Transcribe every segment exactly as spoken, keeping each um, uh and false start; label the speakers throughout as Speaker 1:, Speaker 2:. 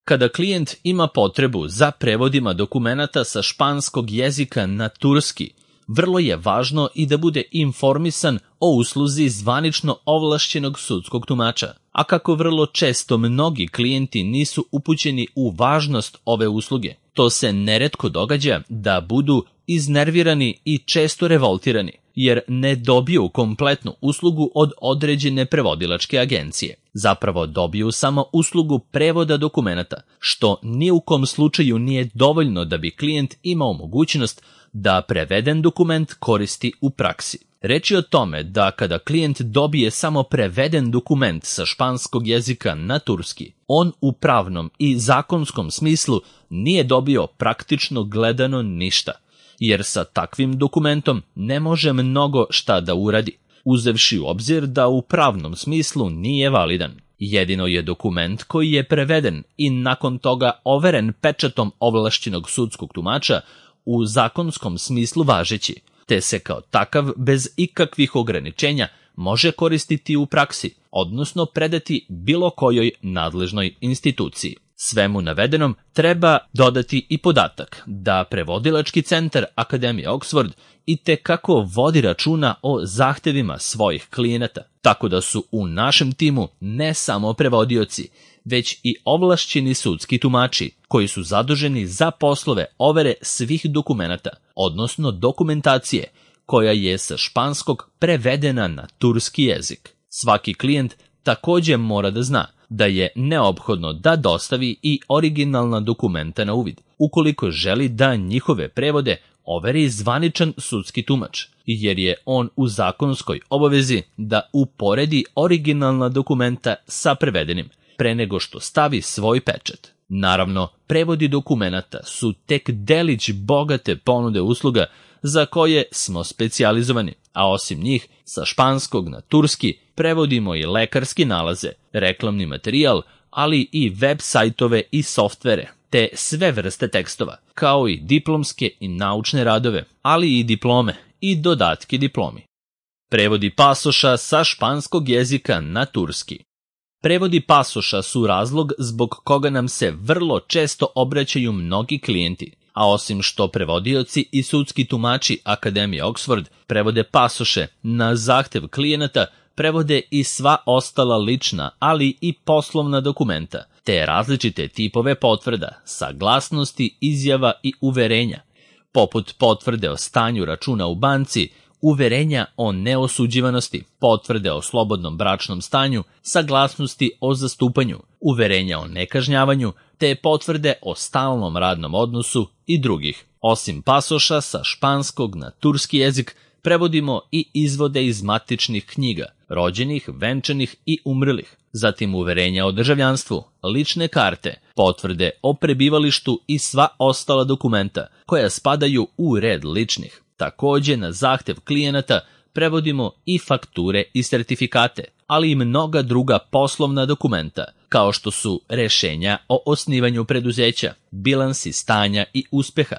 Speaker 1: Kada klijent ima potrebu za prevodima dokumenata sa španskog jezika na turski, vrlo je važno i da bude informisan o usluzi zvanično ovlašćenog sudskog tumača. A kako vrlo često mnogi klijenti nisu upućeni u važnost ove usluge, to se neretko događa da budu iznervirani i često revoltirani, jer ne dobiju kompletnu uslugu od određene prevodilačke agencije. Zapravo dobiju samo uslugu prevoda dokumenata, što ni u kom slučaju nije dovoljno da bi klijent imao mogućnost da preveden dokument koristi u praksi. Reč je o tome da kada klijent dobije samo preveden dokument sa španskog jezika na turski, on u pravnom i zakonskom smislu nije dobio praktično gledano ništa, jer sa takvim dokumentom ne može mnogo šta da uradi, uzevši u obzir da u pravnom smislu nije validan. Jedino je dokument koji je preveden i nakon toga overen pečatom ovlašćenog sudskog tumača u zakonskom smislu važeći, te se kao takav bez ikakvih ograničenja može koristiti u praksi, odnosno predati bilo kojoj nadležnoj instituciji. Svemu navedenom treba dodati i podatak da prevodilački centar Akademije Oxford itekako vodi računa o zahtevima svojih klijenata, tako da su u našem timu ne samo prevodioci, već i ovlašćeni sudski tumači koji su zaduženi za poslove overe svih dokumenata, odnosno dokumentacije koja je sa španskog prevedena na turski jezik. Svaki klijent također mora da zna da je neophodno da dostavi i originalna dokumenta na uvid, ukoliko želi da njihove prevode overi zvaničan sudski tumač, jer je on u zakonskoj obavezi da uporedi originalna dokumenta sa prevedenim, pre nego što stavi svoj pečat. Naravno, prevodi dokumenata su tek delić bogate ponude usluga za koje smo specijalizovani, a osim njih, sa španskog na turski prevodimo i lekarski nalaze, reklamni materijal, ali i web sajtove i softvere, te sve vrste tekstova, kao i diplomske i naučne radove, ali i diplome i dodatke diplomi. Prevodi pasoša sa španskog jezika na turski. Prevodi pasoša su razlog zbog koga nam se vrlo često obraćaju mnogi klijenti, a osim što prevodioci i sudski tumači Akademije Oxford prevode pasoše na zahtev klijenata, prevode i sva ostala lična, ali i poslovna dokumenta, te različite tipove potvrda, saglasnosti, izjava i uverenja, poput potvrde o stanju računa u banci, uverenja o neosuđivanosti, potvrde o slobodnom bračnom stanju, saglasnosti o zastupanju, uverenja o nekažnjavanju, te potvrde o stalnom radnom odnosu i drugih. Osim pasoša sa španskog na turski jezik, prevodimo i izvode iz matičnih knjiga, rođenih, venčanih i umrlih, zatim uverenja o državljanstvu, lične karte, potvrde o prebivalištu i sva ostala dokumenta koja spadaju u red ličnih. Također na zahtev klijenata prevodimo i fakture i sertifikate, ali i mnoga druga poslovna dokumenta, kao što su rešenja o osnivanju preduzeća, bilansi stanja i uspeha,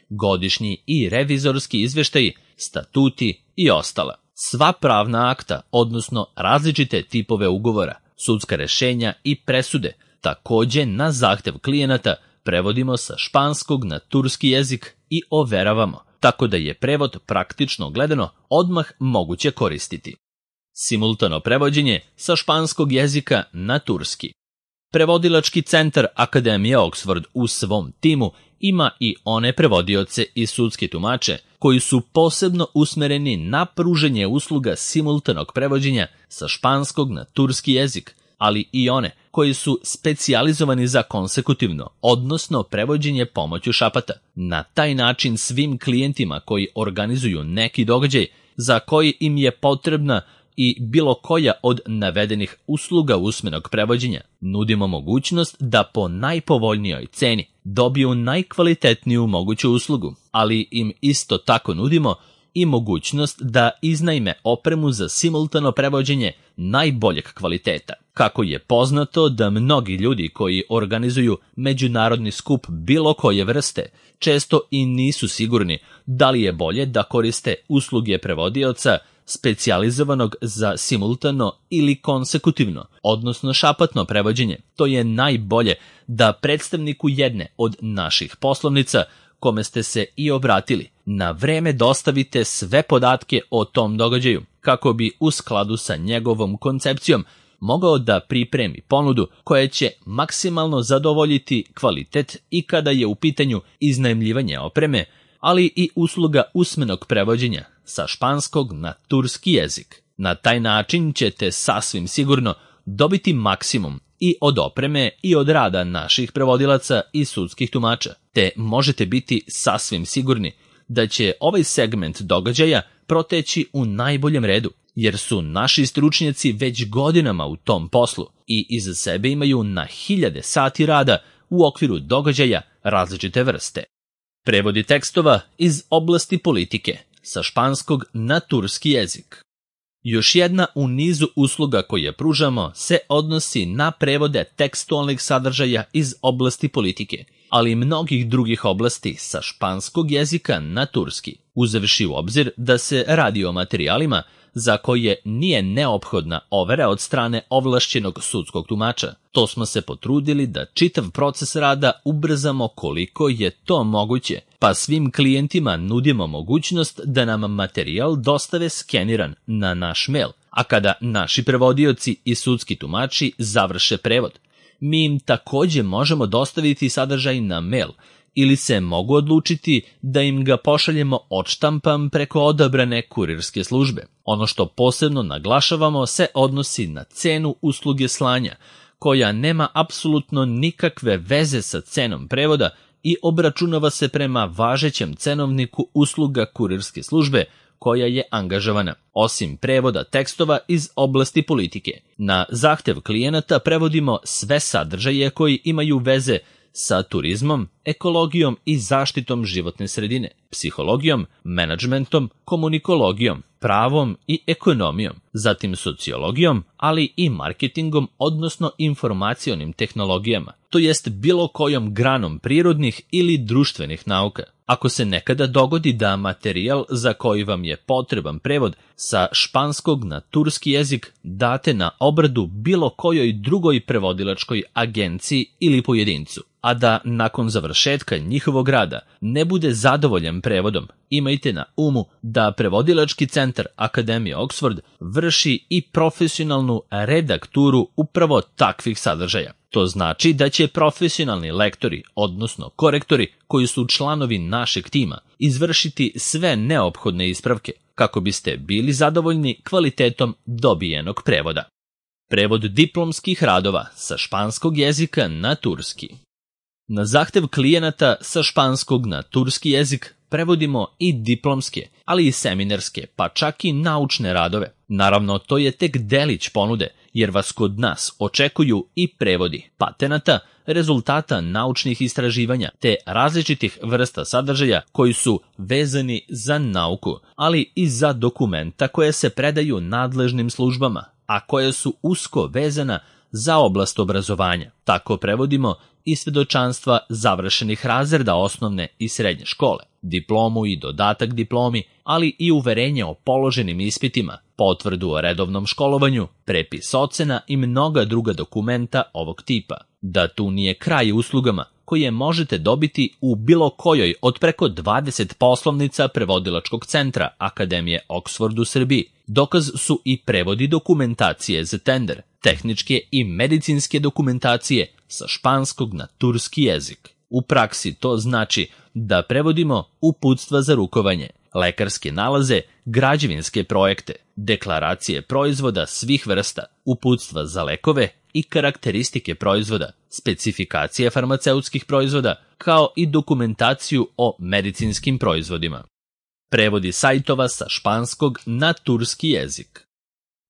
Speaker 1: godišnji i revizorski izveštaji, statuti i ostala. Sva pravna akta, odnosno različite tipove ugovora, sudska rešenja i presude, također na zahtev klijenata prevodimo sa španskog na turski jezik i overavamo, tako da je prevod praktično gledano odmah moguće koristiti. Simultano prevođenje sa španskog jezika na turski. Prevodilački centar Akademije Oxford u svom timu ima i one prevodioce i sudske tumače koji su posebno usmereni na pruženje usluga simultanog prevođenja sa španskog na turski jezik, ali i one koji su specijalizovani za konsekutivno, odnosno prevođenje pomoću šapata. Na taj način svim klijentima koji organizuju neki događaj za koji im je potrebna i bilo koja od navedenih usluga usmenog prevođenja, nudimo mogućnost da po najpovoljnijoj ceni dobiju najkvalitetniju moguću uslugu, ali im isto tako nudimo i mogućnost da iznajme opremu za simultano prevođenje najboljeg kvaliteta. Kako je poznato da mnogi ljudi koji organizuju međunarodni skup bilo koje vrste često i nisu sigurni da li je bolje da koriste usluge prevodioca specijalizovanog za simultano ili konsekutivno, odnosno šapatno prevođenje. To je najbolje da predstavniku jedne od naših poslovnica, kome ste se i obratili, na vreme dostavite sve podatke o tom događaju, kako bi u skladu sa njegovom koncepcijom mogao da pripremi ponudu koja će maksimalno zadovoljiti kvalitet i kada je u pitanju iznajmljivanje opreme, ali i usluga usmenog prevođenja sa španskog na turski jezik. Na taj način ćete sasvim sigurno dobiti maksimum i od opreme i od rada naših prevodilaca i sudskih tumača, te možete biti sasvim sigurni da će ovaj segment događaja proteći u najboljem redu, jer su naši stručnjaci već godinama u tom poslu i iza sebe imaju na hiljade sati rada u okviru događaja različite vrste. Prevodi tekstova iz oblasti politike sa španskog na turski jezik. Još jedna u nizu usluga koje pružamo se odnosi na prevode tekstualnih sadržaja iz oblasti politike, ali i mnogih drugih oblasti sa španskog jezika na turski, uzevši u obzir da se radi o materijalima za koje nije neophodna overa od strane ovlašćenog sudskog tumača. To smo se potrudili da čitav proces rada ubrzamo koliko je to moguće, pa svim klijentima nudimo mogućnost da nam materijal dostave skeniran na naš mail, a kada naši prevodioci i sudski tumači završe prevod, mi im takođe možemo dostaviti sadržaj na mail ili se mogu odlučiti da im ga pošaljemo odštampan preko odabrane kurirske službe. Ono što posebno naglašavamo se odnosi na cenu usluge slanja, koja nema apsolutno nikakve veze sa cenom prevoda i obračunava se prema važećem cenovniku usluga kurirske službe koja je angažovana, osim prevoda tekstova iz oblasti politike. Na zahtev klijenata prevodimo sve sadržaje koji imaju veze sa turizmom, ekologijom i zaštitom životne sredine, psihologijom, menadžmentom, komunikologijom, pravom i ekonomijom, zatim sociologijom, ali i marketingom, odnosno informacionim tehnologijama, to jest bilo kojom granom prirodnih ili društvenih nauka. Ako se nekada dogodi da materijal za koji vam je potreban prevod sa španskog na turski jezik date na obradu bilo kojoj drugoj prevodilačkoj agenciji ili pojedincu, a da nakon završetka njihovog rada ne bude zadovoljan prevodom, imajte na umu da prevodilački centar Akademije Oxford vrši i profesionalnu redakturu upravo takvih sadržaja. To znači da će profesionalni lektori, odnosno korektori, koji su članovi našeg tima, izvršiti sve neophodne ispravke kako biste bili zadovoljni kvalitetom dobijenog prevoda. Prevod diplomskih radova sa španskog jezika na turski. Na zahtev klijenata sa španskog na turski jezik prevodimo i diplomske, ali i seminarske, pa čak i naučne radove. Naravno, to je tek delić ponude, jer vas kod nas očekuju i prevodi patenata, rezultata naučnih istraživanja, te različitih vrsta sadržaja koji su vezani za nauku, ali i za dokumenta koje se predaju nadležnim službama, a koje su usko vezana za oblast obrazovanja. Tako prevodimo i svedočanstva završenih razreda osnovne i srednje škole, diplomu i dodatak diplomi, ali i uverenje o položenim ispitima, potvrdu o redovnom školovanju, prepis ocena i mnoga druga dokumenta ovog tipa. Da tu nije kraj uslugama koje možete dobiti u bilo kojoj od preko dvadeset poslovnica prevodilačkog centra Akademije Oxford u Srbiji. Dokaz su i prevodi dokumentacije za tender, tehničke i medicinske dokumentacije sa španskog na turski jezik. U praksi to znači da prevodimo uputstva za rukovanje, lekarske nalaze, građevinske projekte, deklaracije proizvoda svih vrsta, uputstva za lekove i karakteristike proizvoda, specifikacije farmaceutskih proizvoda, kao i dokumentaciju o medicinskim proizvodima. Prevodi sajtova sa španskog na turski jezik.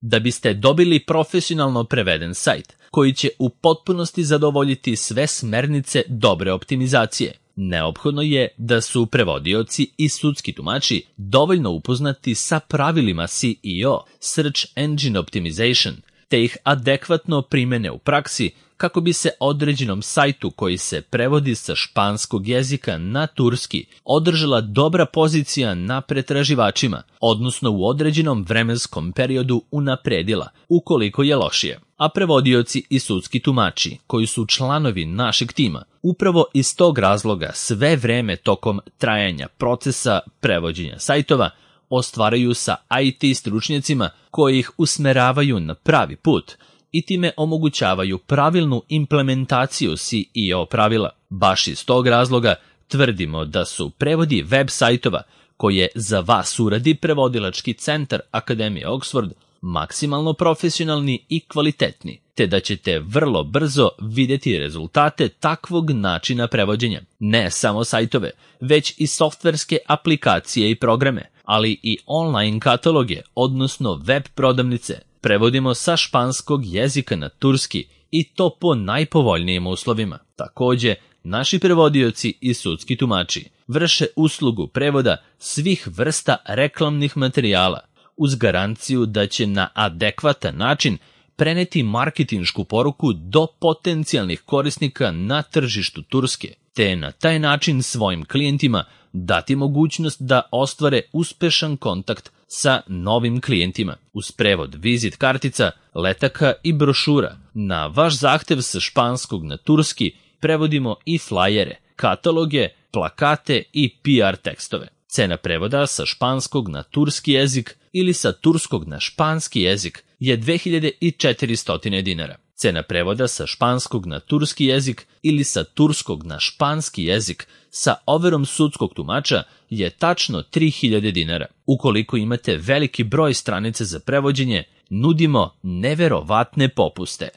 Speaker 1: Da biste dobili profesionalno preveden sajt koji će u potpunosti zadovoljiti sve smernice dobre optimizacije, neophodno je da su prevodioci i sudski tumači dovoljno upoznati sa pravilima S E O, Search Engine Optimization, te ih adekvatno primene u praksi kako bi se određenom sajtu koji se prevodi sa španskog jezika na turski održala dobra pozicija na pretraživačima, odnosno u određenom vremenskom periodu unapredila, ukoliko je lošije. a prevodioci i sudski tumači, koji su članovi našeg tima, upravo iz tog razloga sve vreme tokom trajanja procesa prevođenja sajtova ostvaraju sa I T stručnjacima koji ih usmeravaju na pravi put i time omogućavaju pravilnu implementaciju C E O pravila. Baš iz tog razloga tvrdimo da su prevodi web sajtova koje za vas uradi prevodilački centar Akademije Oxford maksimalno profesionalni i kvalitetni, te da ćete vrlo brzo vidjeti rezultate takvog načina prevođenja. Ne samo sajtove, već i softverske aplikacije i programe, ali i online kataloge, odnosno web prodavnice, prevodimo sa španskog jezika na turski i to po najpovoljnijim uslovima. Takođe, naši prevodioci i sudski tumači vrše uslugu prevoda svih vrsta reklamnih materijala, uz garanciju da će na adekvatan način preneti marketinšku poruku do potencijalnih korisnika na tržištu Turske, te na taj način svojim klijentima dati mogućnost da ostvare uspešan kontakt sa novim klijentima. Uz prevod vizit kartica, letaka i brošura, na vaš zahtev sa španskog na turski prevodimo i flajere, kataloge, plakate i P R tekstove. Cena prevoda sa španskog na turski jezik ili sa turskog na španski jezik je dve hiljade četiristo dinara. Cena prevoda sa španskog na turski jezik ili sa turskog na španski jezik sa overom sudskog tumača je tačno tri hiljade dinara. Ukoliko imate veliki broj stranica za prevođenje, nudimo neverovatne popuste.